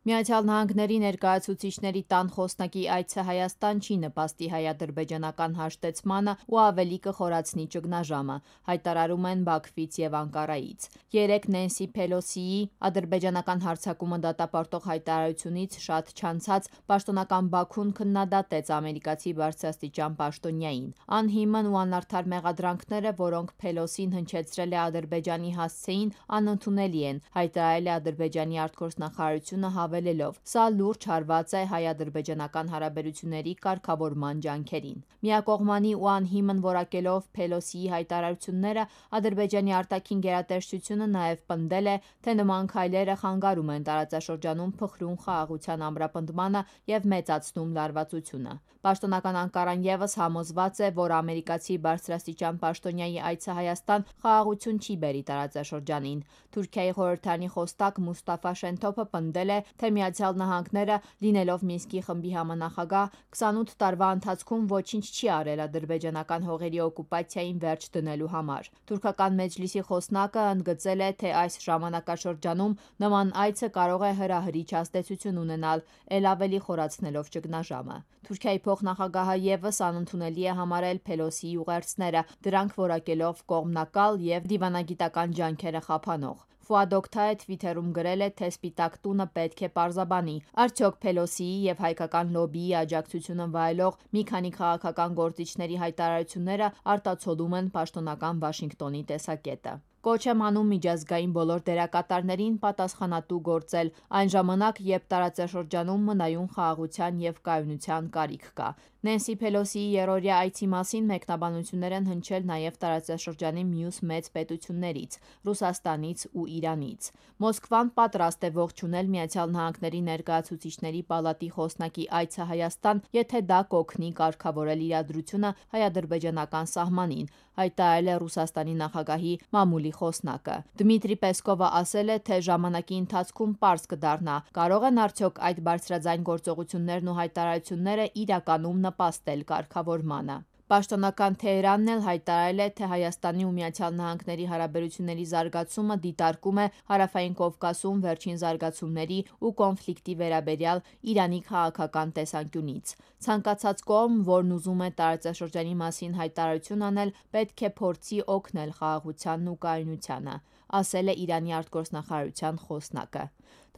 Միացյալ Նահանգների ներկայացուցիչների տան խոսնակի այցը Հայաստան չի նպաստի հայ-ադրբեջանական հաշտեցմանը ու ավելի կխորացնի ճգնաժամը, հայտարարում են Բաքվից և Անկարայից։ Երեկ Նենսի Փելոսիի ադրբեջանական հարձակումը դատապարտող հայտարարությունից շատ չանցած պաշտոնական Բաքուն քննադատեց ամերիկացի բարձրաստիճան պաշտոնյային։ Անհիմն ու անարդար մեղադրանքները, որոնք Փելոսին հնչեցրել է Ադրբեջանի հասցեին, անընդունելի են, հայտարարել է Ադրբեջանի արտգործնախարարությունը հավելելով. «Սա լուրջ հարված է հայ-ադրբեջանական հարաբերությունների կարգավորման ջանքերին»։ Միակողմանի ու անհիմն որակելով Փելոսիի հայտարարությունները, Ադրբեջանի արտաքին գերատեսչությունը նաև պնդել է, թե նման քայլերը խանգարում են տարածաշրջանում փխրուն խաղաղության ամրապնդմանը և մեծացնում լարվածությունը։ Պաշտոնական Անկարան ևս համոզված է, որ ամերիկացի բարձրաստիճան պաշտոնյայի այցը Հայաստան խաղաղություն չի բերի տարածաշրջանին։ Թուրքիայի խորհրդարանի խոսնակ Մուստաֆա Շենթոփը պնդել է, թե Միացյալ Նահանգները, լինելով Մինսկի խմբի համանախագահ, 28 տարվա ընթացքում ոչինչ չի արել ադրբեջանական հողերի օկուպացիային վերջ դնելու համար։ Թուրքական Մեջլիսի խոսնակը ընդգծել է, թե այս ժամանակաշրջանում նման այցը կարող է հրահրիչ ազդեցություն ունենալ, էլ ավելի խորացնելով ճգնաժամը։ Թուրքիայի փոխնախագահը ևս անընդունելի է համարել Փելոսիի ուղերձները, դրանք որակելով կողմնակալ և դիվանագիտական ջանքերը խափանող։ Ֆուադ Օքթայը թվիթերում գրել է, թե Սպիտակ տունը պետք է պարզաբանի՝ արդյոք Փելոսիի և հայկական լոբբիի աջակցությունը վայելող մի քանի քաղաքական գործիչների հայտարարությունները արտացոլում են պաշտոնական Վաշինգտոնի տեսակետը։ Կոչ եմ անում միջազգային բոլոր դերակատարներին պատասխանատու գործել այն ժամանակ, երբ տարածաշրջանում մնայուն խաղաղության և կայունության կարիք կա։ Նենսի Փելոսիի երրորդյա այցի մասին մեկնաբանություններ են հնչել նաև տարածաշրջանի մյուս մեծ պետություններից՝ Ռուսաստանից ու Իրանից։ Մոսկվան պատրաստ է ողջունել Միացյալ Նահանգների ներկայացուցիչների պալատի խոսնակի այցը Հայաստան, եթե դա կօգնի կարգավորել իրադրությունը հայ-ադրբեջանական սահմանին, հայտարարել է Ռուսաստանի նախագահի մամուլի խոսնակը։ Դմիտրի Պեսկովը ասել է, թե ժամանակի ընթացքում պարզ կդառնա՝ կարող են արդյոք այդ բարձրաձայն գործողություններն ու հայտարարությունները իրականում նպաստել կարգավորմանը։ Պաշտոնական Թեհրանն էլ հայտարարել է, թե Հայաստանի ու Միացյալ Նահանգների հարաբերությունների զարգացումը դիտարկում է Հարավային Կովկասում վերջին զարգացումների ու կոնֆլիկտի վերաբերյալ Իրանի քաղաքական տեսանկյունից։ Ցանկացած կողմ, որն ուզում է տարածաշրջանի մասին հայտարարություն անել, պետք է փորձի օգնել խաղաղությանն ու կայունությանը, ասել է Իրանի արտգործնախարարության խոսնակը։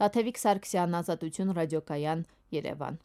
Տաթևիկ Սարգսյան, Ազատություն ռադիոկայան, Երևան։